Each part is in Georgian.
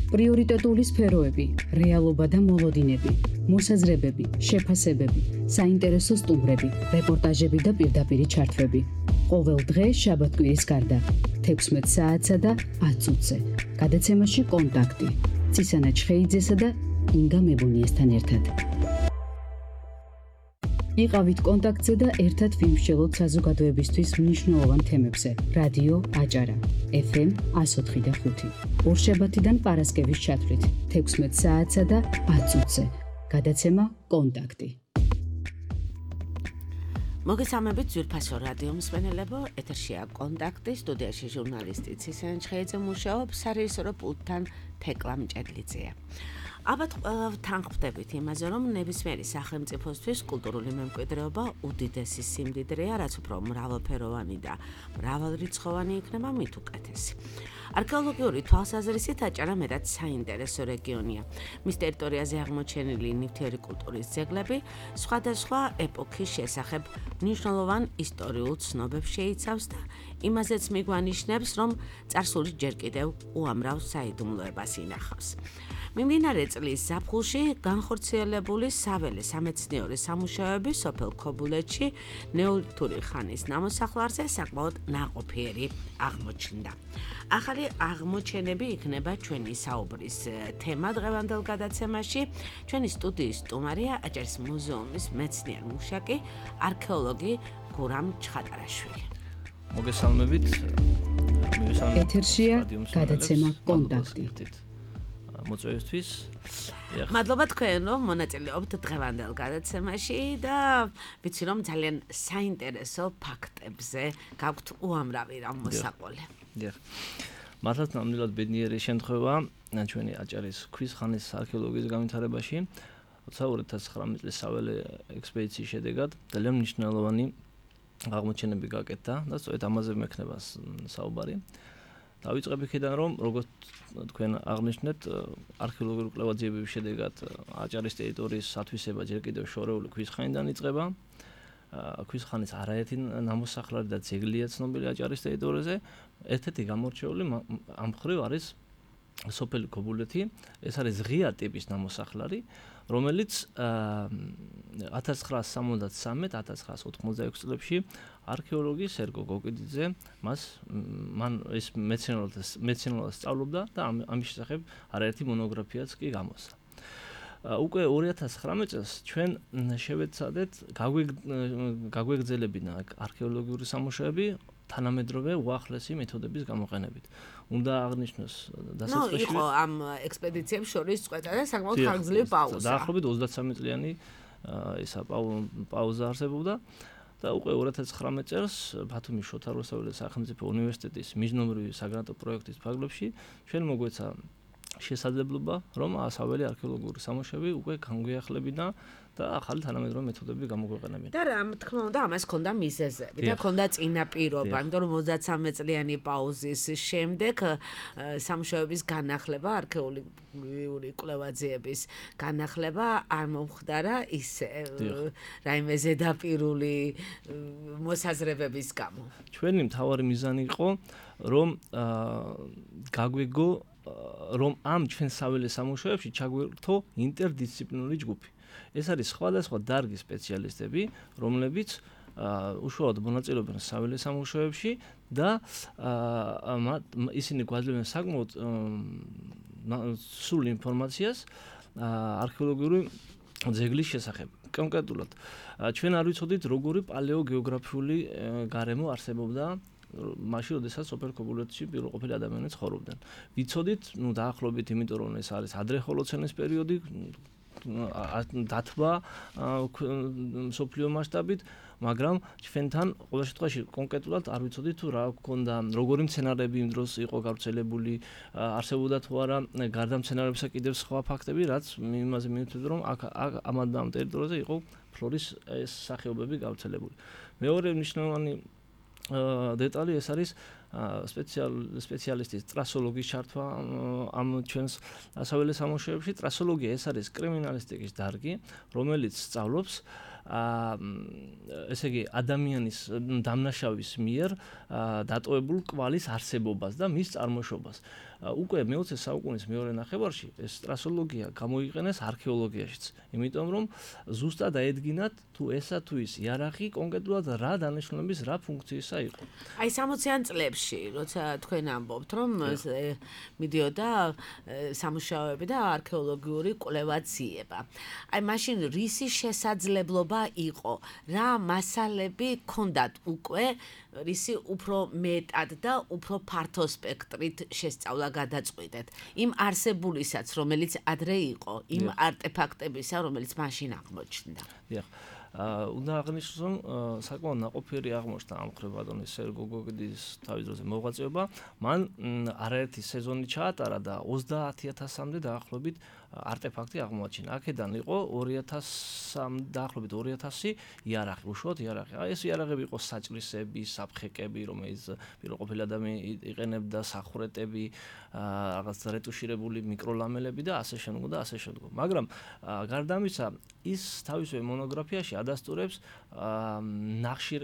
პრიორიტეტული სფეროები, რეალობა და მოლოდინები, მოსაზრებები, შეფასებები, საინტერესო სტუმრები, რეპორტაჟები და პირდაპირი ჩართვები. ყოველ დღე შაბათ-კვირის გარდა 16 საათსა და 10 წუთზე. გადაცემაში კონტაქტი. ცისანა ჩხეიძესა და ინგა მებუნიესთან ერთად. იყავით კონტაქტზე და ერთად ვიმსჯელოთ საზოგადოებისთვის მნიშვნელოვან თემებზე. რადიო აჭარა, FM 104.5. ორშაბათიდან პარასკევის ჩათვლით 16 საათსა და 10 წუთზე. გადაცემა კონტაქტი. მოგესალმებით ძვირფასო რადიო მსმენელებო, ეთერშია კონტაქტი, სტუდიაში ჟურნალისტი ცისანა ჩხეიძე მუშაობს, სარეჟისორო პულტთან თეკლა მჭედლიძეა. ალბათ ყველავთან ხვდებით იმაზე, რომ ნებისმიერი სახელმწიფოსთვის კულტურული მემკვიდრეობა უდიდესი სიმდიდრეა, რაც უფრო მრავალფეროვანი და მრავალრიცხოვანი იქნება, მით უკეთესი. არქეოლოგიური თვალსაზრისით აჭარა მეტად საინტერესო რეგიონია. მის ტერიტორიაზე აღმოჩენილი ნივთიერი კულტურის ძეგლები სხვადასხვა ეპოქის შესახებ მნიშვნელოვან ისტორიულ ცნობებს შეიცავს და იმაზეც მიგვანიშნებს, რომ წარსული ჯერ კიდევ უამრავ საიდუმლოებას ინახავს. მიმდინარე წლის ზაფხულში განხორციელებული საველე სამეცნიერო სამუშაოები სოფელ ქობულეთში ნეოლითური ხანის ნამოსახლარზე საკმაოდ ნაყოფიერი აღმოჩნდა. ახალი აღმოჩენები იქნება ჩვენი საუბრის თემა დღევანდელ გადაცემაში. ჩვენი სტუდიის სტუმარია აჭარის მუზეუმის მეცნიერ-მუშაკი, არქეოლოგი გურამ ჩხატარაშვილი. მოგესალმებით. ეთერშია გადაცემა კონტაქტი. მოწვევისთვის. მადლობა თქვენ, რომ მონაწილეობთ დღევანდელ გადაცემაში და ვიცი, რომ ძალიან საინტერესო ფაქტებზე გაქვთ უამრავი რამ მოსაყოლე. დიახ. მართლაც ნამდვილად ბედნიერი შემთხვევა ჩვენი აჭარის ქვის ხანის არქეოლოგიის განვითარებაში 2019 წლის საველე ექსპედიციის შედეგად ძალიან მნიშვნელოვანი აღმოჩენები გაკეთდა და სწორედ ამაზე მექნება საუბარი. დავიწყებ იქიდან, რომ როგორც თქვენ აღნიშნეთ, არქეოლოგიური კვლევა-ძიებების შედეგად აჭარის ტერიტორიის ათვისება ჯერ კიდევ შორეული ქვის ხანიდან იწყება. ქვის ხანის არაერთი ნამოსახლარი და ძეგლია ცნობილი აჭარის ტერიტორიაზე. ერთ-ერთი გამორჩეული ამ მხრივ არის სოფელი ქობულეთი. ეს არის ღია ტიპის ნამოსახლარი, რომელიც 1973-1986 წლებში არქეოლოგი სერგო გოკიძე მან ეს მეცნიერულად სწავლობდა და ამის შესახებ არაერთი მონოგრაფიაც კი გამოსცა. უკვე 2019 წელს ჩვენ შევეცადეთ გაგვეგრძელებინა არქეოლოგიური სამუშაოები თანამედროვე უახლესი მეთოდების გამოყენებით. უნდა აღნიშნოს დასაწყისში იყო ამ ექსპედიციებს შორის წყვეტა და საკმაოდ ხანგრძლივი პაუზა. დაახლოებით 33 წლიანი ისა პაუზა არსებობდა და უკვე 2019 წელს ბათუმის შოთა რუსთაველის სახელმწიფო უნივერსიტეტის միջნომრივი საგრანტო პროექტის ფარგლებში ჩვენ მოგვეცა შესაძლებლობა, რომ საველე არქეოლოგიური სამუშაოები უკვე განგვიახლებინა და ახალი თანამედროვე მეთოდები გამოგვეყენებინა. და რა თქმა უნდა, ამას ჰქონდა მიზეზები და ჰქონდა წინაპირობა, იმიტომ რომ 33 წლიანი პაუზის შემდეგ სამუშაოების განახლება, არქეოლოგიური კვლევა-ძიების განახლება არ მომხდარა ისე რაიმე ზედაპირული მოსაზრებების გამო. ჩვენი მთავარი მიზანი იყო, რომ გაგვეგო რომ ამ ჩვენ საველე სამუშაოებში ჩაგვერთო ინტერდისციპლინური ჯგუფი. ეს არის სხვადასხვა დარგის სპეციალისტები, რომლებიც უშუალოდ მონაწილეობენ საველე სამუშაოებში და ისინი გვაძლევენ საკმაოდ სრულ ინფორმაციას არქეოლოგიური ძეგლის შესახებ. კონკრეტულად, ჩვენ არ ვიცოდით, როგორი პალეოგეოგრაფიული გარემო არსებობდა მაშინ, როდესაც სოფელ ქობულეთში პირველყოფილი ადამიანები ცხოვრობდნენ. ვიცოდით, დაახლოებით, იმიტომ რომ ეს არის ადრე ჰოლოცენის პერიოდი, დათბა მსოფლიო მასშტაბით, მაგრამ ჩვენთან ყოველ შემთხვევაში კონკრეტულად არ ვიცოდით თუ რა გქონდა, როგორი მცენარეები იმ დროს იყო გავრცელებული, არსებობდა თუ არა გარდა მცენარეებისა კიდევ სხვა ფაქტები, რაც იმაზე მიუთითებდა, რომ ამ ტერიტორიაზე იყო ფლორის ეს სახეობები გავრცელებული. მეორე მნიშვნელოვანი დეტალი ეს არის სპეციალისტის ტრასოლოგის ჩართვა ამ ჩვენს საველე სამუშაოებში. ტრასოლოგია ეს არის კრიმინალისტიკის დარგი, რომელიც სწავლობს ესე იგი ადამიანის დამნაშავის მიერ დატოვებულ კვალის არსებობას და მის წარმოშობას. უკვე მე-20 საუკუნის მეორე ნახევარში ეს სტრასოლოგია გამოიყენეს არქეოლოგიაშიც. იმიტომ რომ ზუსტად აედგინათ თუ ესა თუ ის იარაღი კონკრეტულად რა დანიშნულების რა ფუნქციისა იყო. აი 60-იან წლებში, როცა თქვენ ამბობთ, რომ მიდიოდა სამუშაოები და არქეოლოგიური კვლევა ძიება. აი მაშინ რისი შესაძლებლობა იყო? რა მასალები ქონდათ უკვე რისი უფრო მეტად და უფრო ფართო სპექტრით შესწავლა გადაწყვიტეთ? იმ არსებულისაც, რომელიც ადრე იყო, იმ არტეფაქტებისა, რომელიც მაშინ აღმოჩნდა. დიახ. უნდა აღნიშნოს, რომ საკმაოდ ნაყოფიერი აღმოჩნდა ამ მხრივ ბატონის სერგო გოგიდის თავის დროზე მოღვაწეობა. მან არაერთი სეზონი ჩაატარა და 30000-მდე დაახლოებით არტეფაქტი აღმოაჩინა. აქედან იყო 2000 დაახლოებით 2000 იარაღი, უშუალოდ იარაღი. ეს იარაღები იყო საჭრისები, საფხეკები, რომელიც პირველყოფილი ადამიანი იყენებდა, სახვრეტები, რაღაც რეტუშირებული მიკროლამელები და ასე შემდეგ და ასე შემდეგ. მაგრამ გარდა ამისა, ის თავისივე მონოგრაფიაში ადასტურებს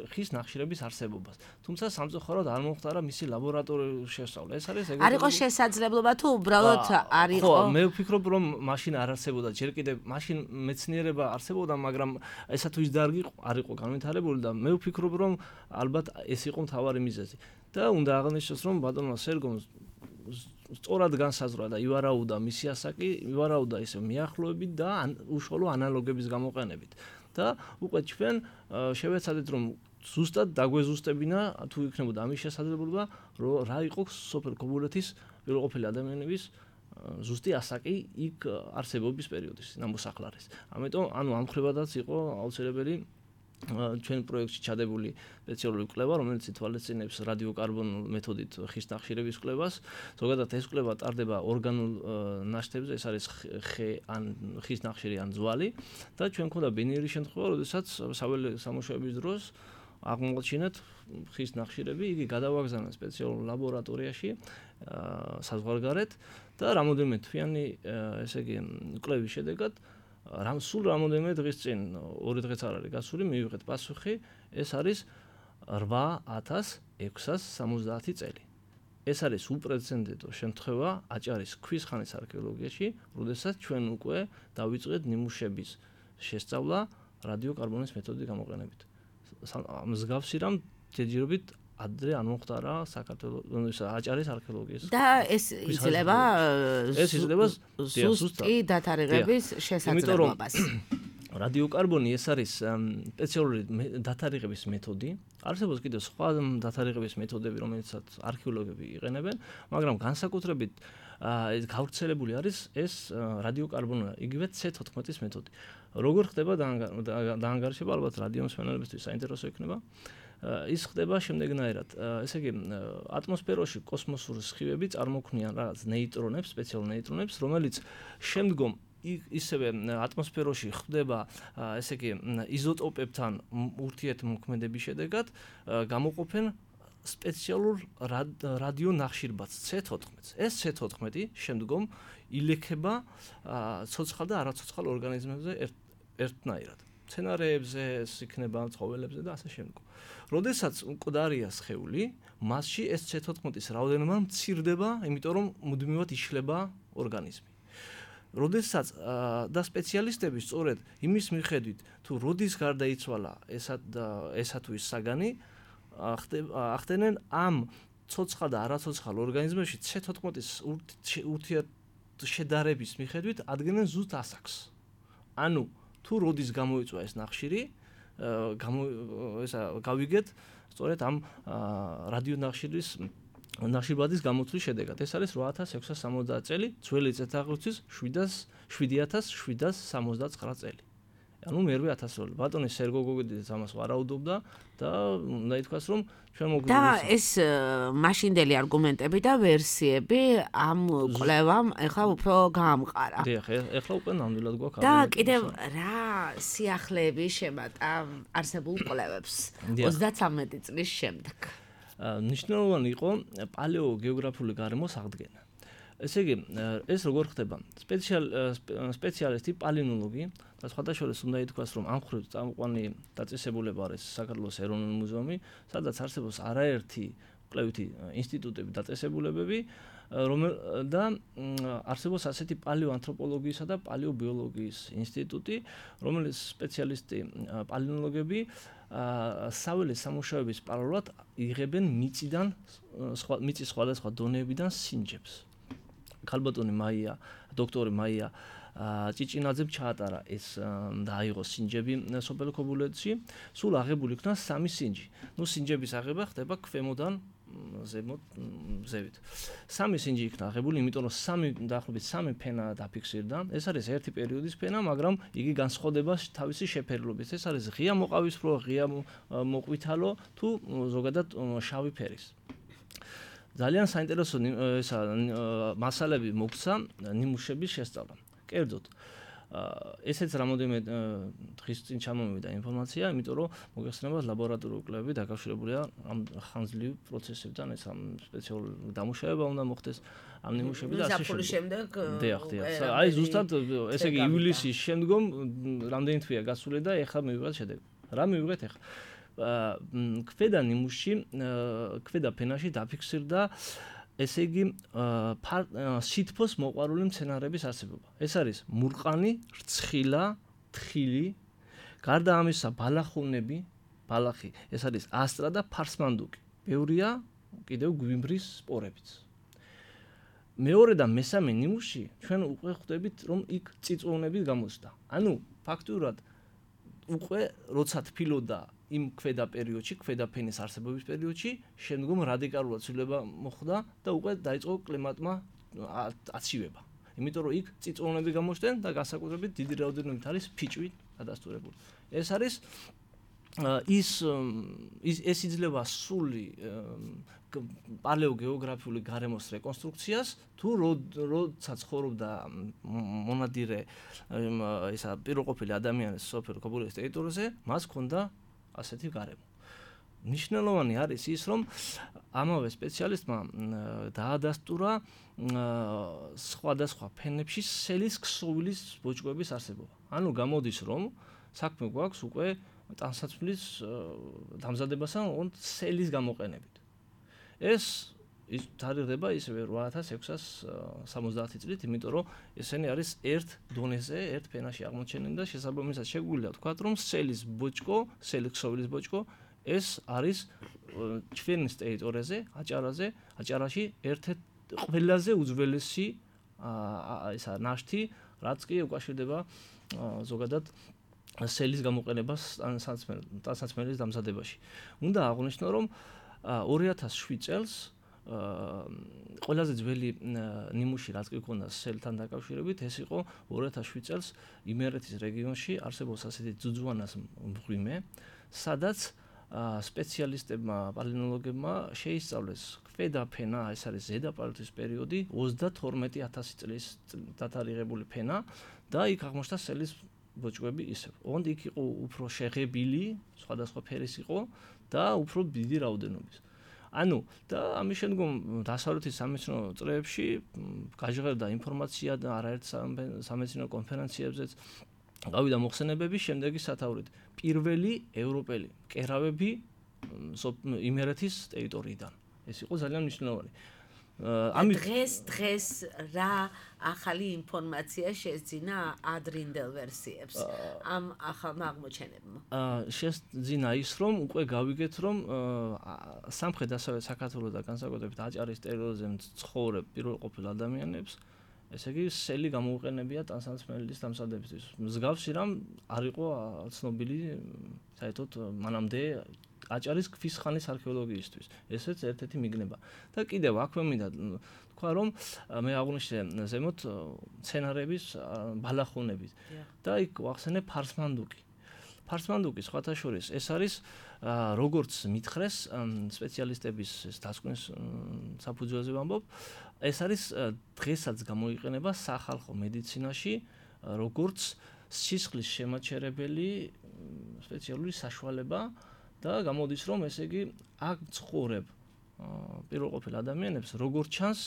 ხის ნახშირების არსებობას. თუმცა სამწუხაროდ არ მომხდარა მისი ლაბორატორიული შესწავლა. ეს არის არ იყო შესაძლებლობა თუ უბრალოდ არ იყო? ხო, მე ვფიქრობ, რომ მაშინ არ არსებობდა, ჯერ კიდევ მაშინ მეცნიერება არსებობდა, მაგრამ ესა თუ ის დარგი არ იყო განვითარებული და მე ვფიქრობ, რომ ალბათ ეს იყო მთავარი მიზეზი. და უნდა აღნიშნოს, რომ ბატონმა სერგომ სწორად განსაზღვრა და ივარაუდა მისი ასაკი, ივარაუდა ისე მიახლოებით და უშუალო ანალოგების გამოყენებით. და უკვე ჩვენ შევეცადეთ, რომ ზუსტად დაგვეზუსტებინა თუ იქნებოდა ამის შესაძლებლობა, რომ რა იყო სოფელ ქობულეთის პირველყოფილი ადამიანების ზუსტი ასაკი იქ არსებობის პერიოდის ნამოსახლარის. ამიტომ ამ ხრივადაც იყო აუცილებელი ჩვენ პროექტში ჩადებული სპეციალური კვლევა, რომელიც ითვალისწინებს რადიოკარბონულ მეთოდით ხის ნახშირების კვლევას. ზოგადად ეს კვლევა ტარდება ორგანულ ნაშთებზე, ეს არის ხე ან ხის ნახშირი ან ძვალი და ჩვენ გვქონდა ბინიერი შემთხვევა, როდესაც საველე სამუშაოების დროს აღმოაჩინეთ ხის ნახშირები, იგი გადავაგზავნა სპეციალურ ლაბორატორიაში საზღვარგარეთ და რამოდენიმე თვიანი ესე იგი კვლევის შედეგად სულ რამოდენიმე დღის წინ 2 დღეც არ არის გასული, მივიღეთ პასუხი, ეს არის 8670 წელი. ეს არის უპრეცედენტო შემთხვევა აჭარის ქვის ხანის არქეოლოგიაში, როდესაც ჩვენ უკვე დავიწყეთ ნიმუშების შესწავლა რადიოკარბონის მეთოდის გამოყენებით. მსგავსი რამ ჯერჯერობით ადრე არ მომხდარა საქართველოს აჭარის არქეოლოგიის. და ეს იძლევა ზუსტი დათარიღების შესაძლებლობას. რადიოკარბონი ეს არის სპეციალური დათარიღების მეთოდი. არსებობს კიდევ სხვა დათარიღების მეთოდები, რომელსაც არქეოლოგები იყენებენ, მაგრამ განსაკუთრებით გავრცელებული არის ეს რადიოკარბონი, იგივე C14-ის მეთოდი. როგორ ხდება დაანგარიშება, ალბათ რადიომსმენელებისთვის საინტერესო იქნება. ის ხდება შემდეგნაირად. ესე იგი, ატმოსფეროში კოსმოსური სხივები წარმოქმნიან რაღაც ნეიტრონებს, სპეციალურ ნეიტრონებს, რომელიც შემდგომ ისევე ატმოსფეროში ხდება, ესე იგი, იზოტოპებთან ურთიერთმოქმედების შედეგად გამოყოფენ სპეციალურ რადიო ნახშირბადს C14-ს. ეს C14 შემდგომ ილექება ცოცხალ და არაცოცხალ ორგანიზმებზე ერთნაირად. მცენარეებზე, იქნება ცხოველებზე და ასე შემდგომ. როდესაც მკვდარია სხეული, მასში ეს C14-ის რაოდენობა მცირდება, იმიტომ რომ მუდმივად იშლება ორგანიზმი. როდესაც და სპეციალისტები სწორედ იმის მიხედვით, თუ როდის გარდაიცვალა ესა თუ ის საგანი, ახდენენ ამ ცოცხალ და არაცოცხალ ორგანიზმებში C14-ის ურთიერთშედარების მიხედვით ადგენენ ზუსტ ასაკს. ანუ თუ როდის გამოიწვა ეს ნახშირი, გავიგეთ სწორედ ამ რადიო ნახშირბადის გამოთვლის შედეგად. ეს არის 8670 წელი, ძველი წელთაღრიცხვის 7769 წელი. ანუ მერვე ათასეული. ბატონი სერგო გოგიძე ამას ვარაუდობდა და უნდა ითქვას, რომ ჩვენ მოგვიყვება. და ეს მაშინდელი არგუმენტები და ვერსიები ამ კვლევამ ახლა უფრო გაამყარა. დიახ, ახლა უკვე ნამდვილად გვაქვს. და კიდევ რა სიახლეები შემატა არსებულ კვლევებს 33 წლის შემდეგ. ნიშნულოვანი იყო პალეოგეოგრაფიული გარემოს აღდგენა. ესე იგი, ეს როგორ ხდება? სპეციალისტი პალეონოლოგი და სხვადასხვა უნდა ითქვას, რომ ამ ხრივ წამყვანი დაწესებულება არის საქართველოს ეროვნული მუზეუმი, სადაც არსებობს არაერთი კვლევითი ინსტიტუტები, დაწესებულებები, და არსებობს ასეთი პალეოანთროპოლოგიისა და პალეობიოლოგიის ინსტიტუტი, რომელიც სპეციალისტი პალეონოლოგები საველე სამუშაოების პარალელურად იღებენ მიწის სხვადასხვა დონეებიდან სინჯებს. ქალბატონი მაია, დოქტორი მაია ჭიჭინაძემ ჩაატარა ეს და აიღო სინჯები სოფელ ქობულეთში, სულ აღებული იქნა 3 სინჯი. სინჯების აღება ხდება ქვემოდან ზევით. 3 სინჯი იქნა აღებული, იმიტომ რომ დაახლოებით 3 ფენა დაფიქსირდა. ეს არის ერთი პერიოდის ფენა, მაგრამ იგი განსხვავდება თავისი შეფერილობით. ეს არის ღია მოყავისფრო, ღია მოყვითალო თუ ზოგადად შავი ფერის. ძალიან საინტერესო მასალები მოგცა ნიმუშების შესწავლა. კერძოდ, ესეც რამოდენიმე დღის წინ ჩამოვიდა ინფორმაცია, იმიტომ რომ მოგეხსენებათ ლაბორატორიული კვლევები დაკავშირებულია ამ ხანძლივ პროცესებთან, ეს ამ სპეციალური დამუშავება უნდა მოხდეს ამ ნიმუშები და ასე შემდეგ. დიახ. აი ზუსტად ესე იგი ივლისის შემდგომ რამდენი თვეა გასული და ეხლა მივიღეთ შედეგი. რა მივიღეთ ეხლა? ქვედა ნიმუშში, ქვედა ფენაში დაფიქსირდა ესე იგი სითბოს მოყვარული მცენარეების არსებობა. ეს არის მურყანი, რცხილა, თხილი, გარდა ამისა ბალახი, ეს არის ასტრა და ფარსმანდუკი. ბევრია კიდევ გვიმბრის სპორებიც. მეორე და მესამე ნიმუშში ჩვენ უკვე ხვდებით, რომ იქ წიწვოვნები გამოსდა. ანუ ფაქტურად უკვე როცა თბილოდა იმ ქვედა პერიოდში, ქვედა ფენის არსებობის პერიოდში, შემდგომ რადიკალურად ცვლილება მოხდა და უკვე დაიწყო კლიმატმა აცივება. იმიტომ რომ იქ წიწვოვნები გამოჩნდნენ და განსაკუთრებით დიდი რაოდენობით არის ფიჭვი დადასტურებული. ეს არის ეს იძლევა სრული პალეოგეოგრაფიული გარემოს რეკონსტრუქციას, თუ როცა ცხოვრობდა მონადირე ისა პიროყოფილი ადამიანის სოფელ ქობულეთის ტერიტორიაზე, მას ჰქონდა ასეთი გარემო. ნიშნულოვანი არის ის, რომ ამავე სპეციალისტმა დაადასტურა სხვადასხვა ფენებში სელის ქსოვილის ბოჭკოების არსებობა. ანუ გამოდის, რომ საქმე გვაქვს უკვე ტანსაცმლის დამზადებასთან სელის გამოყენებით. ეს თარიღდება ისევე 8670 წლით, იმიტომ რომ ესენი არის ერთ დონეზე, ერთ ფენაში აღმოჩენილი და შესაბამისად შეგვიძლია ვთქვათ, რომ სელის ქსოვილის ბოჭკო ეს არის ჩვენის ტერიტორიაზე, აჭარაში ერთ-ერთი ყველაზე უძველესი ისა ნაშთი, რაც კი უკავშირდება ზოგადად სელის გამოყენებას ტანსაცმლის დამზადებაში. უნდა აღვნიშნო, რომ 2007 წელს ყველაზე ძველი ნიმუში რაც კი ქონდა სელთან დაკავშირებით, ეს იყო 2007 წელს იმერეთის რეგიონში არსებობს ასეთი ძუძუანას მღვიმე, სადაც სპეციალისტებმა, პალეონოლოგებმა შეისწავლეს ქვედა ფენა, ეს არის ზედაპალეოლის პერიოდი, 32000 წლის დათარიღებული ფენა და იქ აღმოჩნდა სელის ბოჭკოები ისევ. ოღონდ იქ იყო უფრო შეღებილი, სხვადასხვა ფერის იყო და უფრო დიდი რაოდენობის. ანუ და ამის შემდგომ დასავლეთის სამეცნიერო წრეებში გაჟღერდა ინფორმაცია და არაერთ სამეცნიერო კონფერენციებზეც გავიდა მოხსენებები შემდეგი სათაურით. პირველი ევროპელი კერავები იმერეთის ტერიტორიიდან. ეს იყო ძალიან მნიშვნელოვანი. დღეს რა ახალი ინფორმაცია შეძინა ადრინდელ ვერსიებს ამ ახალმა აღმოჩენებმა? შეძინა ის, რომ უკვე გავიგეთ, რომ სამხრეთ-დასავლეთ საქართველოს და განსაკუთრებით აჭარის ტერიტორიაზე ცხოვრებ პირველყოფილ ადამიანებს, ესე იგი სელი გამოუყენებია ტანსაცმლის დამზადებისთვის. მსგავსი რამ არ იყო ცნობილი საერთოდ მანამდე აჭარის ქვის ხანის არქეოლოგიისთვის. ესეც ერთ-ერთი მიგნება. და კიდევ აქვე მინდა თქვა, რომ მე აღვნიშნე ზემოთ მცენარეების ბალახონებით და იქ ვახსენე ფარსმანდუკი. ფარსმანდუკი სხვათა შორის ეს არის როგორც მითხრეს სპეციალისტების დასკვნის საფუძველზე ვამბობ, ეს არის დღესაც გამოიყენება სახალხო მედიცინაში როგორც სისხლის შემაჩერებელი სპეციალური საშუალება და გამოდის, რომ ესე იგი აქ ცხოვრებ პირველყოფილ ადამიანებს როგორც ჩანს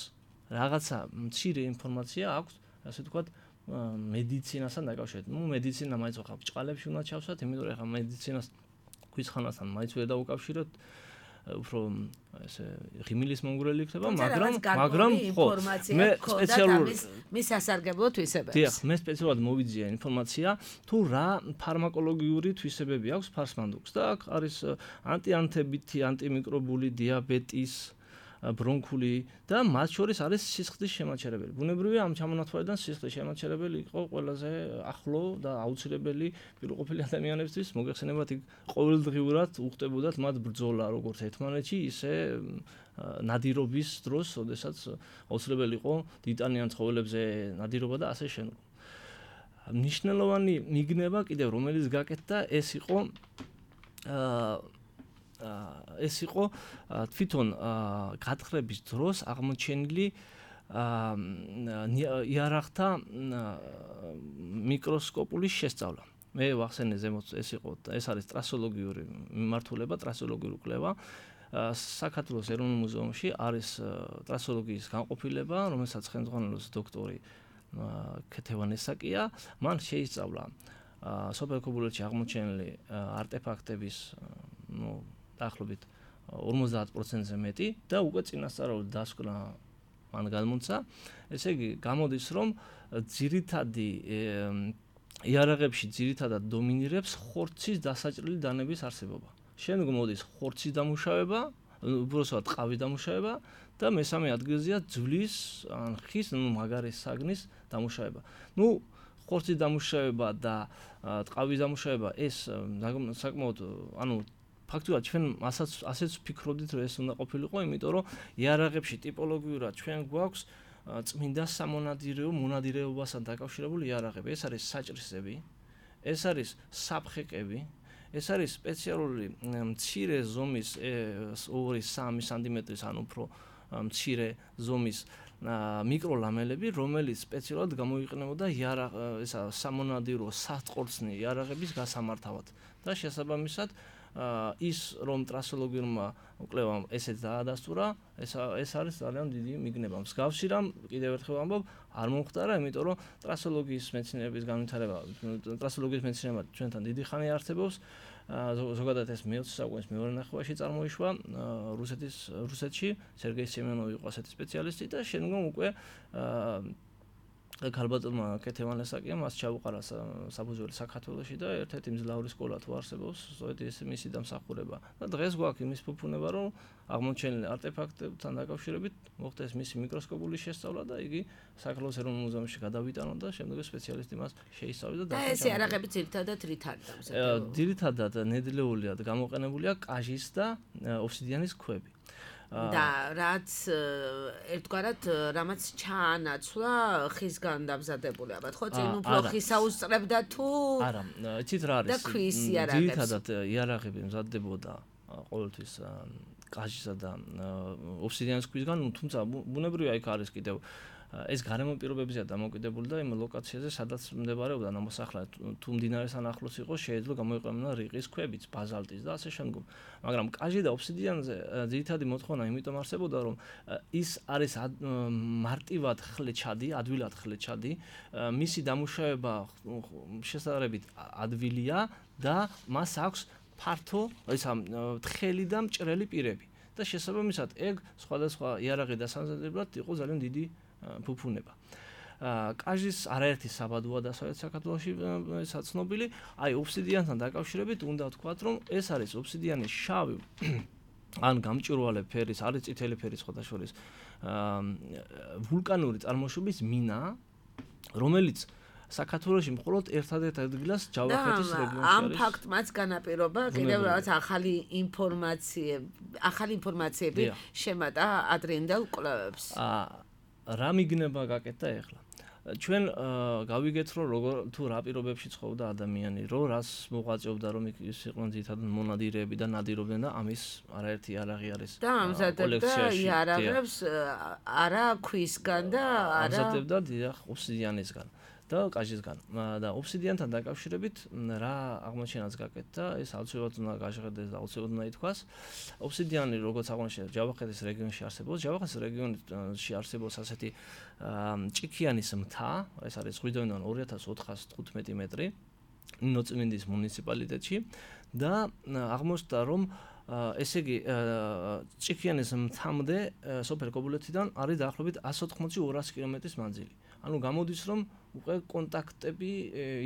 რაღაცა მცირე ინფორმაცია აქვს, ასე ვთქვათ, მედიცინასთან დაკავშირებით. მედიცინა მაინც ხა ბჭყალებში უნდა ჩავსვათ, იმიტომ რომ ხა მედიცინას ქვის ხანასთან მაინც ვერ დაუკავშიროთ. უფრო ესე ღიმილის მომგვრელი იქნება, მაგრამ ხო მე სპეციალურად მის სასარგებლო თვისებებს. დიახ, მე სპეციალურად მოვიძია ინფორმაცია თუ რა ფარმაკოლოგიური თვისებები აქვს ფარსმანდუქს და აქ არის ანტიანთებითი, ანტიმიკრობული, დიაბეტის, ბრონქული და მათ შორის არის სისხლის შემაჩერებელი. ბუნებრივია ამ ჩამონათვალიდან სისხლის შემაჩერებელი იყო ყველაზე ახლო და აუცილებელი პირყოფილი ადამიანებისთვის, მოგეხსენებათ იქ ყოველდღიურად უხდებოდათ მათ ბრძოლა როგორც ერთმანეთში, ისე ნადირობის დროს, ოდესაც აუცილებელი იყო ტიტანიან ცხოველებზე ნადირობა და ასე შემდეგ. მნიშვნელოვანი მიგნება კიდევ რომელიც გაკეთდა, ეს იყო თვითონ გათხრების დროს აღმოჩენილი იარაღთა მიკროსკოპული შესწავლა. მე ვახსენე ზემოთ ეს არის ტრასოლოგიური მიმართულება, ტრასოლოგიური კვლევა. საქართველოს ეროვნულ მუზეუმში არის ტრასოლოგიის განყოფილება, რომელსაც ხელმძღვანელობს დოქტორი ქეთევანესაკია. მან შეისწავლა სოფელ ქობულეთში აღმოჩენილი არტეფაქტების დაახლოებით 50%-ზე მეტი და უკვე წინასწარული დასკვნა მან გამონცა. ესე იგი, გამოდის რომ ძირითადი იარაღებში ძირითადად დომინირებს ხორცის დასაჭრელი დანების არსებობა. შემდეგ მოდის ხორცის დამუშავება, უბრალოდ ტყავის დამუშავება და მესამე ადგილზეა ძვლის ან ხის, მაგარის საგნის დამუშავება. ხორცის დამუშავება და ტყავის დამუშავება ეს საკმაოდ ფაქტობრივად ჩვენ ასეც ვფიქრობდით, რომ ეს უნდა ყოფილიყო, იმიტომ რომ იარაღებში ტიპოლოგიურად ჩვენ გვაქვს წმინდა სამონადირეო მონადირეობასთან დაკავშირებული იარაღები. ეს არის საჭრისები, ეს არის საფხეკები, ეს არის სპეციალური მცირე ზომის 2-3 სანტიმეტრის ან უფრო მცირე ზომის მიკროლამელები, რომელიც სპეციალურად გამოიყენებოდა სამონადირო სატყორცნი იარაღების გასამართავად და შესაბამისად ის რომ ტრასოლოგიურმა კვლევამ ესეც დაადასტურა, ეს არის ძალიან დიდი მიგნება. მსგავსი რამ კიდევ ერთხელ ამბობ, არ მომხდარა, იმიტომ რომ ტრასოლოგიის მეცნიერების განვითარება, ტრასოლოგიის მეცნიერება ჩვენთან დიდი ხანი არსებობს. ზოგადად ეს მე-20 საუკუნის მეორე ნახევარში წარმოიშვა რუსეთში, სერგეი სემენოვი იყო ასეთი სპეციალისტი და შემდგომ უკვე ქალბატონმა ქეთევანესაკიამ მას ჩაუყარა საფუძველი საქართველოში და ერთ-ერთი მძლავრი სკოლა თუ არსებობს, სწორედ ეს მისი დამსახურება. და დღეს გვაქვს იმის ფუფუნება, რომ აღმოჩენილი არტეფაქტებთან დაკავშირებით მოხდეს მისი მიკროსკოპული შესწავლა და იგი საქართველოს ეროვნულ მუზეუმში გადავიტანონ და შემდეგ სპეციალისტი მას შეისწავლეს და ეს იარაღები ძირითადად რით არის დამზადებული? ძირითადად ნედლეულიად გამოყენებულია კაჟის და ოფსიდიანის ქვები. და რაც ერთგვარად რამაც ჩაანაცვლა ხისგან დამზადებული ალბათ ხო წინ უფრო ხისა უსწრებდა თუ არა იცით რა არის და ქვის იარაღებს ძირითადად იარაღები მზადდებოდა ყოველთვის კაჟისა და ოფსიდიანის ქვისგან თუმცა ბუნებრივია იქ არის კიდევ ეს გარემო პირობებზეა დამოკიდებული და იმ ლოკაციაზე სადაც მდებარეობდა ნამოსახლარი თუ მდინარესთან ახლოს იყო შეიძლება გამოიყენება რიყის ქვებიც ბაზალტის და ასე შემდგომ მაგრამ კაჟი და ოფსიდიანზე ძირითადი მოთხოვნა იმიტომ არსებობდა რომ ის არის მარტივად ხლეჩადი ადვილად ხლეჩადი მისი დამუშავება შესაძლებლობით ადვილია და მას აქვს ფართო ისა თხელი და მჭრელი პირები და შესაბამისად ეგ სხვადასხვა იარაღი დასამზადებლად იყო ძალიან დიდი ფუფუნება. კაჟის არაერთი საბადოა დასავლეთ საქართველოში საცნობილი, აი ოფსიდიანთან დაკავშირებით უნდა ვთქვათ, რომ ეს არის ოფსიდიანის შავი ან გამჭვირვალე ფერის, არის წითელი ფერის სხვადასხვა ვულკანური წარმოშობის მინა, რომელიც საქართველოში მხოლოდ ერთადერთ ადგილას ჯავახეთის რეგიონში არის. ამ ფაქტმაც განაპირობა კიდევ რაღაც ახალი ინფორმაციები შემატა ადრინდელ კვლევებს. რა მიგნება გაკეთდა ახლა? ჩვენ გავიგეთ რომ როგორ თუ რა პირობებში ცხოვრობდა ადამიანი, რომ რას მოღვაწეობდა, რომ ის იყვნენ ძირითადად მონადირეები და ნადირობდნენ და ამის არაერთი იარაღი არის. და ამზადებდა იარაღებს არა ქვისგან და არა ამზადებდა დიახ ოფსიდიანისგან. და კაჟისგან და ოფსიდიანთან დაკავშირებით რა აღმოჩენაც გაკეთდა ეს აუცილებლად უნდა გაჟღერდეს და აუცილებლად უნდა ითქვას ოფსიდიანი როგორც აღმოჩნდა ჯავახეთის რეგიონში არსებობს ჯავახეთის რეგიონში არსებობს ასეთი ჭიქიანის მთა ეს არის ზღვიდანიდან 2415 მეტრი ნინოწმინდის მუნიციპალიტეტში და აღმოჩნდა რომ ესე იგი ჭიქიანის მცამდე სოფელ კობულეთიდან არის დაახლოებით 180-200 კილომეტრის მანძილი. ანუ გამოდის რომ უკვე კონტაქტები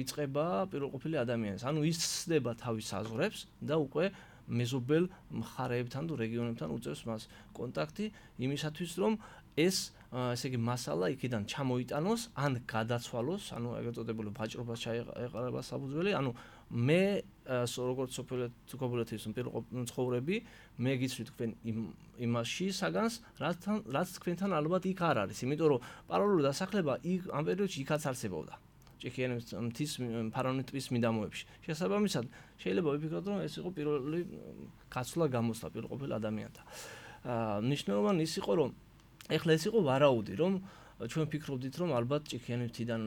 იწყება პირველყოფილი ადამიანის. ანუ ის ცდება თავის საზღვრებს და უკვე მეზობელ მხარეებთან თუ რეგიონებთან უწევს მას კონტაქტი იმისათვის რომ ეს ესე იგი მასალა იქიდან ჩამოიტანოს ან გადაცვალოს, ანუ ეგრეთ წოდებული ვაჭრობას ჩაეყარება საფუძველი, ანუ მე როგორც სოფელეთის პირველყოფილი ცხოვრები, მე გიცვით თქვენ იმაში საგანს, რაც თქვენთან ალბათ იქ არ არის, იმიტომ რომ პარალელური დასახლება ამ პერიოდში იქაც არსებობდა. ჭიქიანის მთის ფარავნის ტბის მიდამოებში. შესაბამისად, შეიძლება ვიფიქროთ, რომ ეს იყო პირველი გაცვლა გამოსვლა პირველყოფილ ადამიანთა. მნიშვნელოვანი ის იყო, რომ ეხლა ეს იყო ვარაუდი, რომ ჩვენ ფიქრობდით, რომ ალბათ ჭიქიანი მთიდან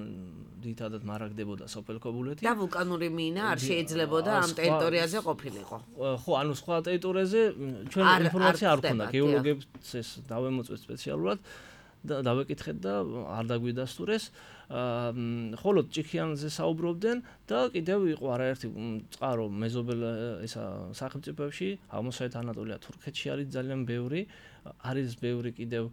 დიდადად მარაგდებოდა სოფელ კობულეთი. და ვულკანური მინა არ შეიძლებოდა ამ ტერიტორიაზე ყოფილიყო. ხო, ანუ სხვა ტერიტორიაზე ჩვენ ინფორმაცია არ გვქონდა, გეოლოგებს ეს დავემოწვეთ სპეციალურად და დავეკითხეთ და არ დაგვიდასტურეს. ხოლო ჭიქიანზე საუბრობდნენ და კიდევ იყო არაერთი წყარო მეზობელ ისა სახელმწიფოებში, აღმოსავლეთ ანატოლია, თურქეთში არის ძალიან ბევრი, არის ბევრი კიდევ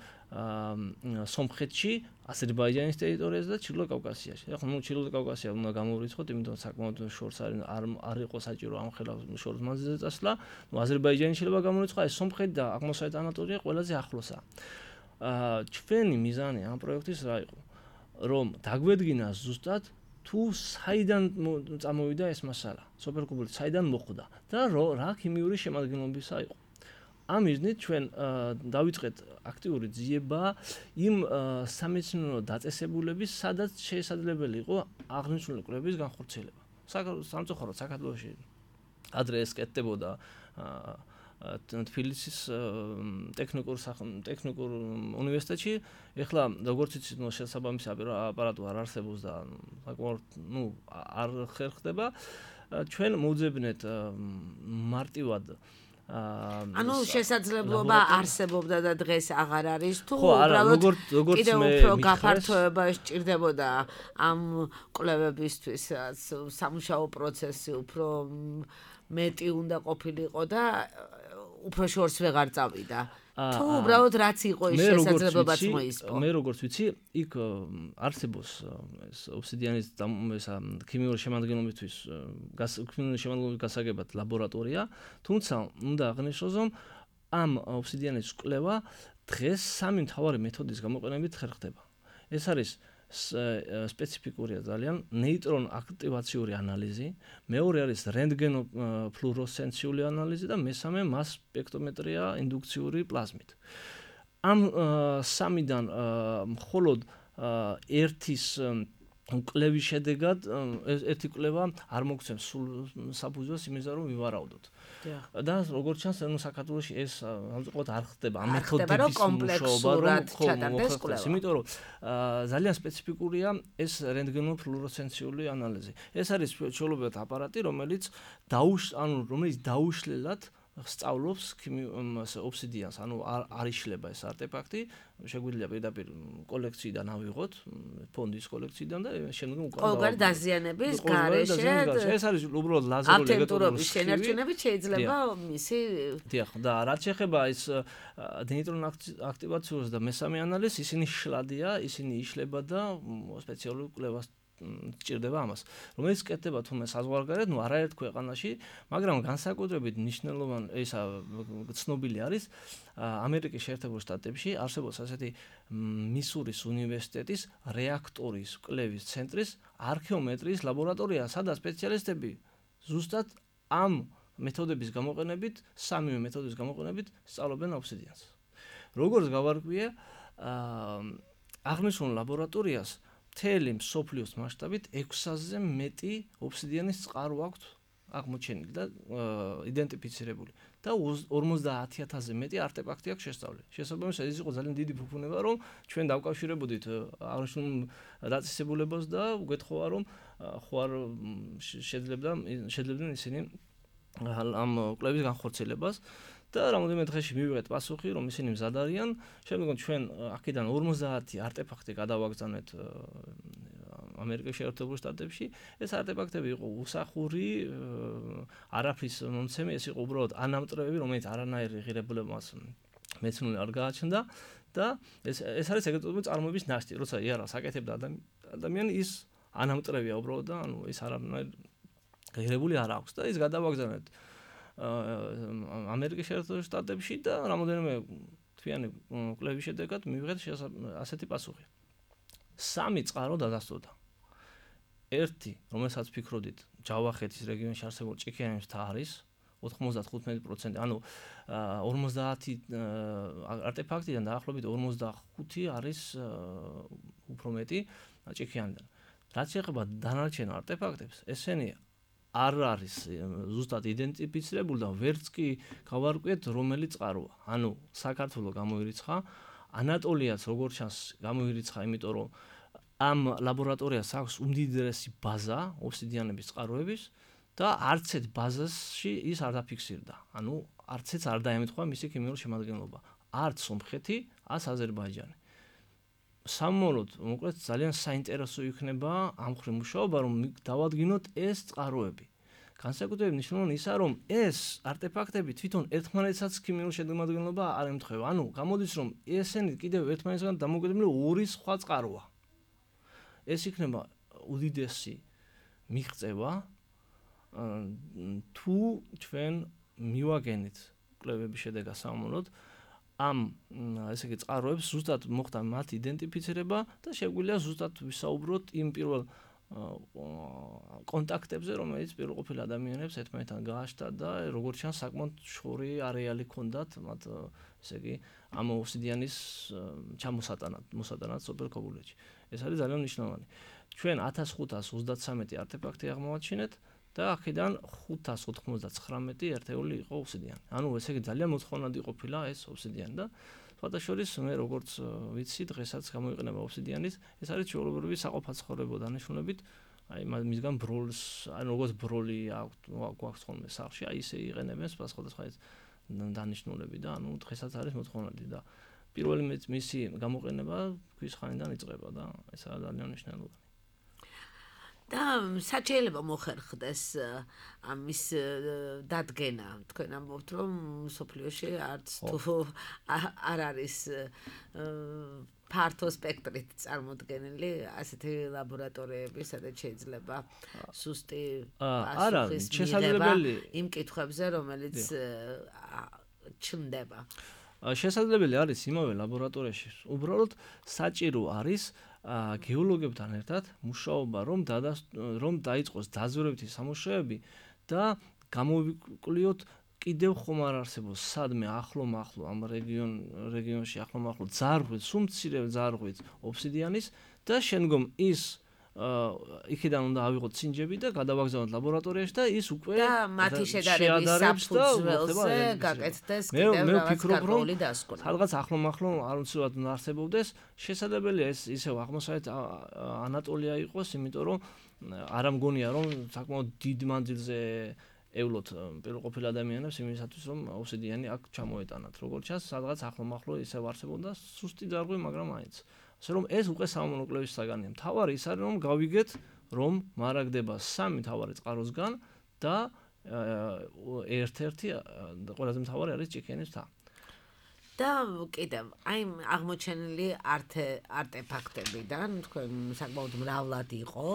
სომხეთში, აზერბაიჯანის ტერიტორიაზე და ჩრდილო კავკასიაში. ახლა ჩრდილო კავკასია უნდა გამოვიწყოთ, იმიტომ რომ საკმაოდ შორს არ იყო საჭირო ამ ხელა შორს მანძილზე წასვლა. აზერბაიჯანი შეიძლება გამოვიწყო, ეს სომხეთი და აღმოსავლეთ ანატოლია ყველაზე ახლოსაა. ჩვენი მიზანი ამ პროექტის რა იყო? რომ დაგვედგინა ზუსტად თუ საიდან წამოვიდა ეს მასალა, სოფელ კობულეთში საიდან მოხვდა და რა ქიმიური შემადგენლობისა იყო. ამ მიზნით ჩვენ დავიწყეთ აქტიური ძიება იმ სამეცნიერო დაწესებულების, სადაც შესაძლებელი იყო აღნიშნული კვლევების განხორციელება. სამწუხაროდ საქართველოში ადრე ეს კეთდებოდა თბილისის ტექნიკურ უნივერსიტეტში. ეხლა როგორც იცით, შესაბამისი აპარატურა არ არსებობს და საკმაოდ არ ხერხდება. ჩვენ მოვძებნეთ მარტივად ანუ შესაძლებლობა არსებობდა და დღეს აღარ არის თუ უბრალოდ კიდევ უფრო გაფართოება სჭირდებოდა ამ კვლევებისთვის სამუშაო პროცესი უფრო მეტი უნდა ყოფილიყო და უფრო შორს ვეღარ წავიდა. თუ უბრალოდ რაც იყო ის შესაძლებლობაც მოისპო. მე როგორც ვიცი, იქ არსებობს ეს ობსიდიანის ქიმიური შემადგენლობისთვის გასაგებად ლაბორატორია, თუმცა უნდა აღნიშნოს, რომ ამ ობსიდიანის კვლევა დღეს სამი მთავარი მეთოდის გამოყენებით ხერხდება. ეს არის სპეციფიკურია ძალიან ნეიტრონ აქტივაციური ანალიზი, მეორე არის რენტგენოფლუორესცენციული ანალიზი და მესამე მას სპექტრომეტრია ინდუქციური პლაზმით. ამ სამიდან მხოლოდ ერთის კვლევის შედეგად ერთი კვლევა არ მოგცემს სულ საფუძველს იმისა, რომ ვივარაუდოთ. და როგორც ჩანს, საქართველოში ეს ამწუხაროდ არ ხდება ამ მეთოდების მუშაობა, რომ იმიტომ რომ ძალიან სპეციფიკურია ეს რენტგენოფლუორესცენციული ანალიზი. ეს არის ჩვეულებრივად აპარატი, რომელიც დაუშლელად სწავლობს ობსიდიანს, ანუ არ იშლება ეს არტეფაქტი, შეგვიძლია პირდაპირ კოლექციიდან ავიღოთ, ფონდის კოლექციიდან და შემდგომ ყოველგვარი დაზიანების გარეშე ეს არის უბრალოდ ლაზერული ელექტროდების შენარჩუნებით შეიძლება მისი დიახ, და რაც შეეხება ეს ნეიტრონ აქტივაციას და მესამე ანალიზს, ისინი შლადია, ისინი იშლება და სპეციალური კვლევას სჭირდება ამას, რომელიც კეთდება თუმცა საზღვარგარეთ, არაერთ ქვეყანაში, მაგრამ განსაკუთრებით მნიშვნელოვანი ცნობილი არის ამერიკის შეერთებულ შტატებში არსებობს ასეთი მისურის უნივერსიტეტის რეაქტორის კვლევის ცენტრის არქეომეტრიის ლაბორატორია, სადაც სპეციალისტები ზუსტად ამ მეთოდების გამოყენებით, სამივე მეთოდის გამოყენებით სწავლობენ ობსიდიანს. როგორც გავარკვიე, აღნიშნულ ლაბორატორიას მთელი მსოფლიოს მასშტაბით 600-ზე მეტი ობსიდიანის წყარო აქვს აღმოჩენილი და იდენტიფიცირებული და 50,000-ზე მეტი არტეფაქტი აქვს შესწავლილი. შესაბამისად, ეს იყო ძალიან დიდი ფუფუნება, რომ ჩვენ დავკავშირებოდით აღნიშნულ დაწესებულებას და უგეთხოვა, რომ ხوار შეძლებდნენ ისინი ამ კვლევის განხორციელებას. და რამოდენიმე დღეში მივიღეთ პასუხი, რომ ისინი მზად არიან. შემდგომ ჩვენ აქედან 50 არტეფაქტი გადავაგზავნეთ ამერიკის შეერთებულ შტატებში ეს არტეფაქტები იყო უსახური არაფრის მომცემი, ეს იყო უბრალოდ ანამტრევები, რომელიც არანაირი ღირებულებას მეცნული არ გააჩნდა და ეს არის ეგრეთ წოდებული წარმოების ნაშთი, როცა იარაღს აკეთებდა ადამიანი ის ანამტრევია უბრალოდ და ანუ ის არანაირი ღირებული არ აქვს და ის გადავაგზავნეთ ამერიკის შეერთებულ შტატებში და რამოდენიმე თვიანი კვლევის შედეგად მივიღეთ ასეთი პასუხი. 3 წყარო დადასტურდა. ერთი, რომელსაც ფიქრობდით, ჯავახეთის რეგიონში არსებულ ჭიქიანის მთა არის 95%, ანუ 50 არტეფაქტიდან დაახლოებით 45 არის უფრო მეტი ჭიქიანიდან. რაც შეეხება დანარჩენ არტეფაქტებს, ესენი არ არის ზუსტად იდენტიფიცირებული და ვერც კი გავარკვიეთ რომელი წყაროა. ანუ საქართველოს გამოირიცხა, ანატოლიაც როგორც ჩანს გამოირიცხა, იმიტომ რომ ამ ლაბორატორიას აქვს უმდიდრესი ბაზა ობსიდიანების წყაროების და არც ერთ ბაზაში ის არ დაფიქსირდა. ანუ არც ერთ არ დაემთხვა მისი ქიმიური შემადგენლობა. არც სომხეთი, არც აზერბაიჯანი. სამმოლოდ, მოკლედ ძალიან საინტერესო იქნება ამ ხრი მუშაობა, რომ დავადგინოთ ეს წყაროები. განსაკუთრებით მნიშვნელოვანი ისაა, რომ ეს არტეფაქტები თვითონ ერთმანეთსაც ქიმიურ შემადგენლობა არ ემთხვევა. ანუ გამოდის, რომ ესენი კიდევ ერთმანეთისგან დამოუკიდებელი ორი სხვა წყაროა. ეს იქნება უდიდესი მიღწევა თუ ჩვენ მივაგენით კვლევების შედეგად სამმოლოდ ამ ესე იგი წყაროებს ზუსტად მოხდა მათ იდენტიფიცირება და შეგვიძლია ზუსტად ვისაუბროთ იმ პირველ კონტაქტებზე, რომელიც პირველყოფილ ადამიანებს ერთმანეთთან გააჩნდა და როგორც ჩანს საკმაოდ შორი არეალი ჰქონდათ მათ ესე იგი ამ ობსიდიანის მოსატანად სუპერკობულეთში. ეს არის ძალიან მნიშვნელოვანი. ჩვენ 1533 არტეფაქტი აღმოვაჩინეთ და აქედან 599 ერთეული იყო ობსიდიანი. ანუ ესე იგი ძალიან მოთხოვნადი ყოფილა ეს ობსიდიანი და სხვადასხვის მე როგორც ვიცი დღესაც გამოიყენება ობსიდიანის, ეს არის ჩვეულებრივი საყოფაცხოვრებო დანიშნულებით, აი მისგან ბროლს, ანუ როგორც ბროლი აქვს ხოლმე სახლში, აი ისე იყენებენ სხვადასხვა დანიშნულები და ანუ დღესაც არის მოთხოვნადი და პირველი მისი გამოყენება ქვის ხანიდან იწყება და ეს არის ძალიან მნიშვნელოვანი. და საჩეილება მოხერხდეს ამის დადგენა. თქვენ ამბობთ, რომ სოფლიოში არც თუ არ არის ფართო სპექტრით წარმოდგენილი ასეთი ლაბორატორიები, სადაც შეიძლება სუსტი პასუხის მიღება იმ კითხვებზე, რომელიც ჩნდება. შესაძლებელი არის იმავე ლაბორატორიაში უბრალოდ საჭირო არის გეოლოგებთან ერთად მუშაობა, რომ დაიწყოს დაზვერებითი სამუშაოები და გამოვიკვლიოთ კიდევ ხომ არ არსებობს სადმე ახლო ამ რეგიონში ახლო ძარღვით, სუმცირე ძარღვით ობსიდიანის და შემდგომ ის იქიდან უნდა ავიღოთ ცინჯები და გადავაგზავნოთ ლაბორატორიაში და ის უკვე და მათი შედარების საფუძველზე გაკეთდეს კიდევ რაღაც გარკვეული დასკვნა. სადღაც ახლო არ უცებად უნდა არსებობდეს, შესაძლებელია ეს ისევ აღმოსავლეთ ანატოლია იყოს, იმიტომ რომ არ ამგონია რომ საკმაოდ დიდ მანძილზე ევლოთ პირველყოფილ ადამიანებს იმისათვის რომ ობსიდიანი აქ ჩამოეტანათ. როგორც ჩანს, სადღაც ახლო ისევ არსებობდა სუსტი ძარღვი, მაგრამ მაინც ასე რომ ეს უკვე სამომავლო კვლევის საგანია. მთავარი ის არის რომ გავიგეთ რომ მარაგდება 3 მთავარი წყაროსგან და ერთ-ერთი ყველაზე მთავარი არის ჭიქიანის მთა. და კიდევ აი აღმოჩენილი არტეფაქტებიდან თქვენ საკმაოდ მრავლად იყო.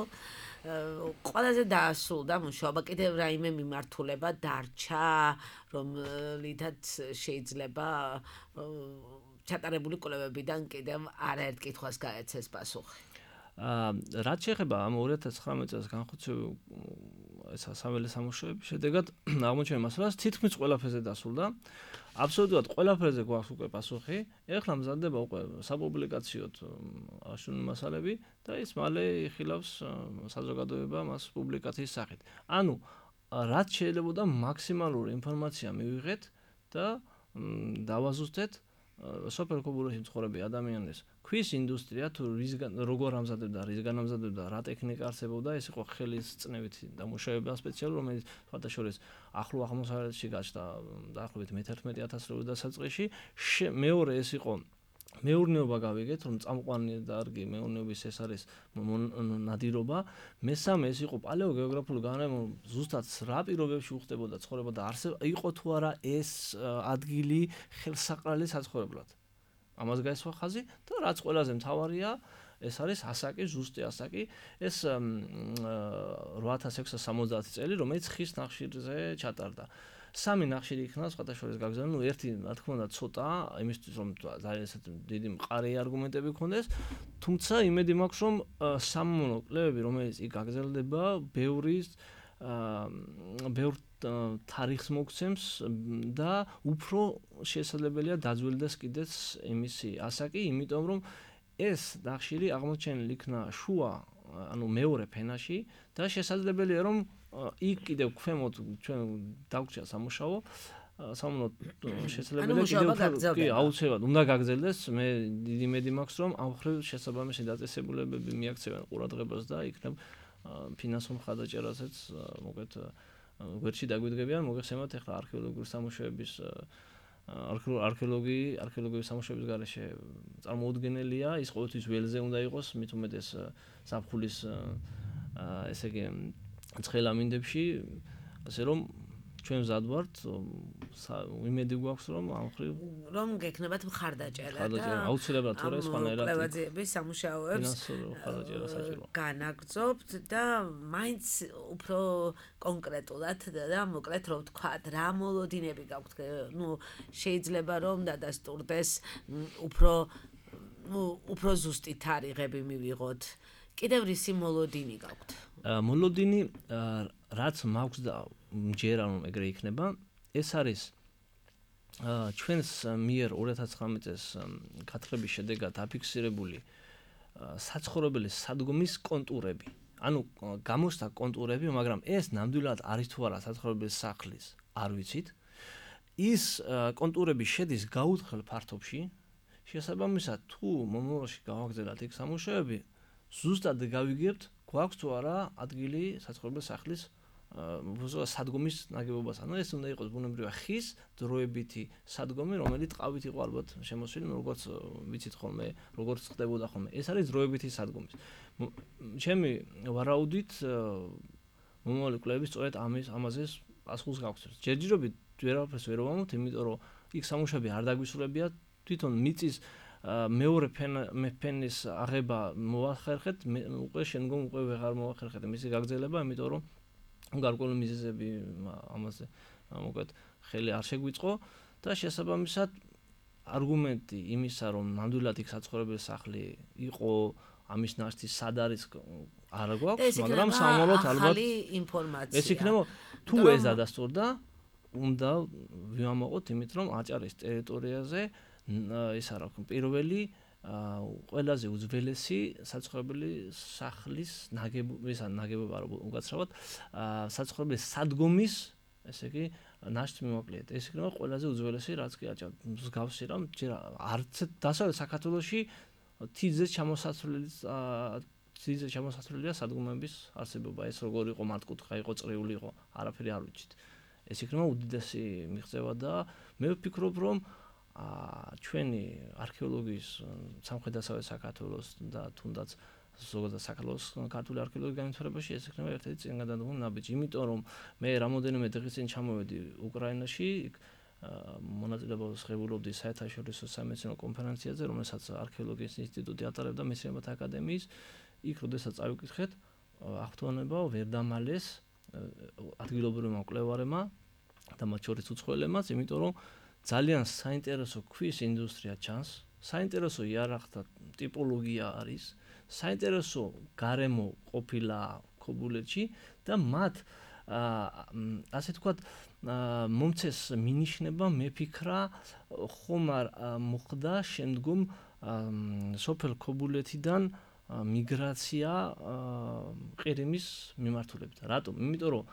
ყველაზე დაასრულდა მუშაობა, კიდევ რაიმე მიმართულება დარჩა, რომლითაც შეიძლება ჩატარებული კვლევებიდან კიდევ არაერთ კითხვას გაეცეს პასუხი. რაც შეეხება ამ 2019 წელს განხორციელებულ საველე სამუშაოების შედეგად აღმოჩენილ მასალას თითქმის ყველაფერზე დასრულდა. აბსოლუტურად ყველაფერზე გვაქვს უკვე პასუხი. ეხლა მზადდება უკვე საპუბლიკაციოდ აღნიშნული მასალები და ის მალე იხილავს საზოგადოება მას პუბლიკაციის სახით. ანუ რაც შეიძლება მაქსიმალური ინფორმაცია მივიღეთ და დავაზუსტეთ სუპერკობულეთში მცხოვრები ადამიანის ქვის ინდუსტრია თუ როგორ ამზადებდა, რისგან ამზადებდა, რა ტექნიკა არსებობდა, ეს იყო ხელის წნევით დამუშავება სპეციალური, რომელიც სხვადასხვის ახლო აღმოსავლეთში გაჩნდა დაახლოებით 11,000 წლის დასაწყისში. მეორე ეს იყო მეურნეობა გავიგეთ, რომ წამყვანი დარგი მეურნეობის ეს არის ნადირობა. მესამე ეს იყო პალეოგეოგრაფიული განმარტება, ზუსტად რა პირობებში უხდებოდა ცხოვრება და იყო თუ არა ეს ადგილი ხელსაყრელი საცხოვრებლად. ამას გაესვა ხაზი და რაც ყველაზე მთავარია, ეს არის ასაკი, ზუსტი ასაკი, ეს 8670 წელი, რომელიც ხის ნახშირზე ჩატარდა. სამი ნახშირი იქნა სხვადასხვა გაგზავნა, ერთი რა თქმა უნდა ცოტა, იმისთვის რომ ძალიან დიდი მყარი არგუმენტები გქონდეს, თუმცა იმედი მაქვს რომ სამომავლო კვლევები, რომელიც იქ გაგზელდება, ბევრ თარიღს მოგცემს და უფრო შესაძლებელია დაძველდეს კიდეც იმისი ასაკი, იმიტომ რომ ეს ნახშირი აღმოჩენილი იქნა შუა, ანუ მეორე ფენაში და შესაძლებელია რომ იქ კიდევ ქვემოთ ჩვენ დაგვჭირა სამუშაო შესაძლებელია კიდევ აუცილებლად უნდა გაგრძელდეს. მე დიდი იმედი მაქვს რომ ამ ხრივ შესაბამისი დაწესებულებები მიაქცევენ ყურადღებას და იქნებ ფინანსურ მხარდაჭერაზეც მოგეთ გვერდში დაგვიდგებიან, მოგეხსენებათ ახლა არქეოლოგიური სამუშაოების არქეოლოგიის სამუშაოების გარეშე წარმოუდგენელია, ის ყოველთვის ველზე უნდა იყოს, მით უმეტეს ზაფხულის ესე იგი ცხელ ამინდებში, ასე რომ ჩვენ მზად ვართ, იმედი გვაქვს რომ ამ ხრივ რომ გექნებათ მხარდაჭერა და აუცილებლად თორე სხვანაირად კვლევაძიების სამუშაოებს განაგრძობთ და მაინც უფრო კონკრეტულად და მოკლედ რომ ვთქვათ, რა მოლოდინები გაქვთ, შეიძლება რომ დადასტურდეს უფრო ზუსტი თარიღები მივიღოთ. კიდევ რისი მოლოდინი გაქვთ? მოლოდინი რაც მაქვს და მჯერა რომ ეგრე იქნება, ეს არის ჩვენს მიერ 2019 წელს გათხრების შედეგად აფიქსირებული საცხოვრებელი სადგომის კონტურები. ანუ გამოსცა კონტურები, მაგრამ ეს ნამდვილად არის თუ არა საცხოვრებელი სახლის, არ ვიცით. ის კონტურები შედის გაუთხელ ფართობში, შესაბამისად თუ მომავალში გავაგრძელოთ იქ სამუშაოები, ზუსტად გავიგებთ, გვაქვს თუ არა ადგილი საცხოვრებელი სახლის სადგომის ნაგებობას. ანუ ეს უნდა იყოს ბუნებრივი ხის დროებითი სადგომი, რომელიც ტყავით იყო ალბათ შემოსილი, როგორც ვიცით ხოლმე, როგორც ხდებოდა ხოლმე. ეს არის დროებითი სადგომი. ჩემი ვარაუდით მომავალი კვლევები სწორედ ამაზე პასუხს გავხსენს. ჯერჯერობით ვერავაფერს ვერ ვამბობთ, იმიტომ რომ იქ სამუშაოები არ დაგვისურებია, თვითონ მიწის მეორე ფენის აღება მოახერხეთ, უკვე შემდგომ უკვე ვეღარ მოახერხეთ მისი გაგრძელება, იმიტომ რომ გარკვეული მიზეზები ამაზე მოკლედ ხელი არ შეგვიწყო და შესაბამისად არგუმენტი იმისა, რომ ნამდვილად იქ საცხოვრებელი სახლი იყო, ამის ნაშთი სად არის არ გვაქვს, მაგრამ სამომავლოდ ალბათ ინფორმაცია. ეს იქნება თუ ეს დადასტურდა, უნდა ვიმოყოთ იმით, რომ აჭარის ტერიტორიაზე ის არა პირველი ყველაზე უძველესი საცხოვრებელი სახლის ნაგებობა უკაცრავად საცხოვრებელი სადგომის, ესე იგი, ნაშთი მიმოკლეთ. ეს იქნება ყველაზე უძველესი, რაც კი აჭარ მსგავსი რამ არც დასავლეთ საქართველოში თიძე ჩამოსაცვლელია სადგომების არსებობა. ეს როგორ იყო მართკუთხა, იყო წრიული, იყო, არაფერი არ ვიცით. ეს იქნება უდიდესი მიღწევა და მე ვფიქრობ, რომ ჩვენი არქეოლოგიის სამხრეთ-დასავლეთ საქართველოს და თუნდაც ზოგადად საქართველოს ქართული არქეოლოგიის განვითარებაში ეს იქნება ერთ-ერთი წინგადადგმული ნაბიჯი. იმიტომ რომ მე რამოდენიმე დღის წინ ჩამოვედი უკრაინაში, მონაწილეობას ღებულობდი საერთაშორისო სამეცნიერო კონფერენციაზე, რომელსაც არქეოლოგიის ინსტიტუტი ატარებდა მეცნიერებათა აკადემიის. იქ როდესაც წავიკითხეთ, აღფრთოვანება ვერ დამალეს ადგილობრივმა მკვლევარებმა და მათ შორის უცხოელებმაც, იმიტომ რომ ძალიან საინტერესო ქვის ინდუსტრია ჩანს, საინტერესო იარაღთა ტიპოლოგია არის, საინტერესო გარემო ყოფილა ქობულეთში და მათ ასე თქვათ მომცეს მინიშნება მეფიქრა ხომ არ მოხდა შემდგომ სოფელ ქობულეთიდან მიგრაცია ყირიმის მიმართულებით. რატომ? იმიტომ რომ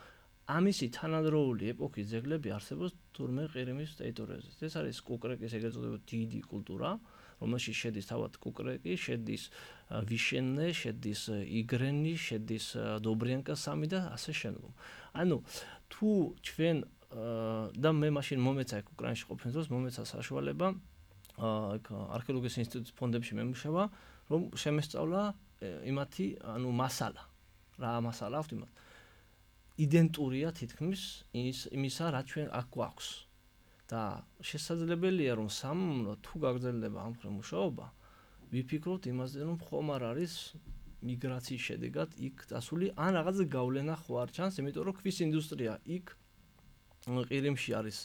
ამისი თანადროული ეპოქის ძეგლები არსებობს თურმე ყირიმის ტერიტორიაზე. ეს არის კუკრეკის ეგრეთ წოდებული დიდი კულტურა, რომელშიც შედის თავად კუკრეკი, შედის ვიშენე, შედის იგრენი, შედის დობრიანკა 3 და ასე შემდგომ. ანუ თუ ჩვენ და მე მაშინ მომეცა უკრაინაში ყოფნის დროს მომეცა საშუალება არქეოლოგიის ინსტიტუტის ფონდებში მემუშავა, რომ შემესწავლა იმათი, მასალა. რა მასალა აქვს იმათ. იდენტურია თითქმის იმისა, რაც ჩვენ აქ გვაქვს. და შესაძლებელია, რომ სამომავლოდ თუ გაგრძელდება ამ მხრივ მუშაობა, ვიფიქროთ იმაზე, რომ ხომ არ არის მიგრაციის შედეგად იქ დასული, ან რაღაც გავლენა ხო არ ჩანს, იმიტომ რომ ქვის ინდუსტრია იქ ყირიმში არის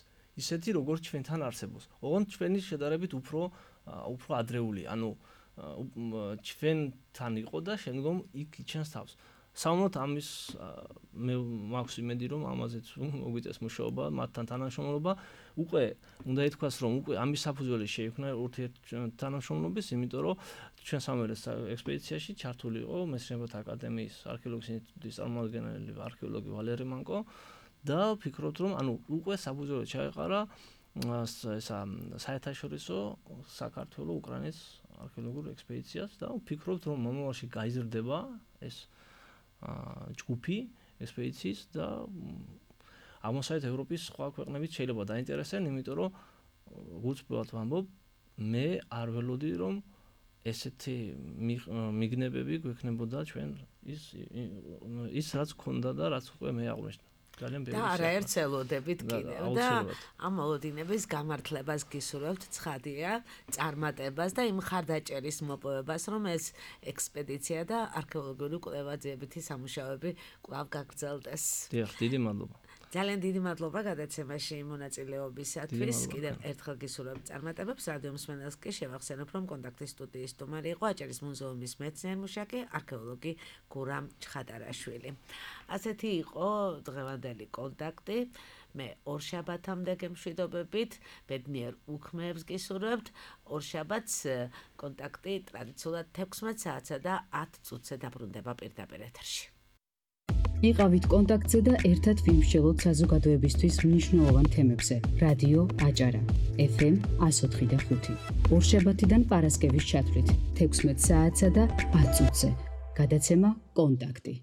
ისეთი, როგორც ჩვენთან არსებობს. ოღონდ ჩვენი შედარებით უფრო ადრეული, ჩვენთან იყო და შემდგომ იქ იჩენს თავს. სამომავლოდ ამის მე მაქვს იმედი, რომ ამაზეც მოგვიწევს მუშაობა, მათთან თანამშრომლობა, უკვე უნდა ითქვას, რომ უკვე ამის საფუძველი შეიქმნა ურთიერთთანამშრომლობის, იმიტომ რომ ჩვენ სამივე ექსპედიციაში ჩართული იყო მეცნიერებათა აკადემიის არქეოლოგიის ინსტიტუტის წარმომადგენელი არქეოლოგი ვალერი მანკო და ვფიქრობთ, რომ უკვე საფუძველი ჩაეყარა ესა საერთაშორისო საქართველოს უკრაინის არქეოლოგიურ ექსპედიციას და ვფიქრობთ, რომ მომავალში გაიზრდება ეს ჯგუფი ექსპედიციის და აღმოსავლეთ ევროპის სხვა ქვეყნებით შეიძლება დაინტერესდნენ, იმიტომ რომ უცბად ვამბობ, მე არ ველოდი, რომ ესეთი მიგნებები გვექნებოდა ჩვენ ის რაც გქონდა და რაც უკვე მე აღვნიშნე. და არაერთ ელოდებით კიდევ და ამ მოლოდინების გამართლებას გისურვებთ ცხადია, წარმატებას და იმ ხარდაჭერის მოპოვებას, რომ ეს ექსპედიცია და არქეოლოგიური კვლევა-ძიებითი სამუშაოები კვლავ გაგრძელდეს. დიახ, დიდი მადლობა. ძალიან დიდი მადლობა გადაცემაში მონაწილეობისათვის. კიდევ ერთხელ გისურვებთ წარმატებებს. რადიო მსმენელს კი შევახსენებ, რომ კონტაქტის სტუდიის სტუმარი იყო აჭარის მუზეუმის მეცნიერ-მუშაკი, არქეოლოგი გურამ ჩხატარაშვილი. ასეთი იყო დღევანდელი კონტაქტი. მე ორშაბათამდე გემშვიდობებით, ბედნიერ უქმეებს გისურვებთ. ორშაბათს კონტაქტი ტრადიციულად 16 საათსა და 10 წუთზე დაბრუნდება პირდაპირ ეთერში. იყავით კონტაქტზე და ერთად ვიმსჯელოთ საზოგადოებისთვის მნიშვნელოვან თემებზე. რადიო აჭარა FM 104.5. ორშაბათიდან პარასკევის ჩათვლით 16 საათსა და 10 წუთზე. გადაცემა კონტაქტი.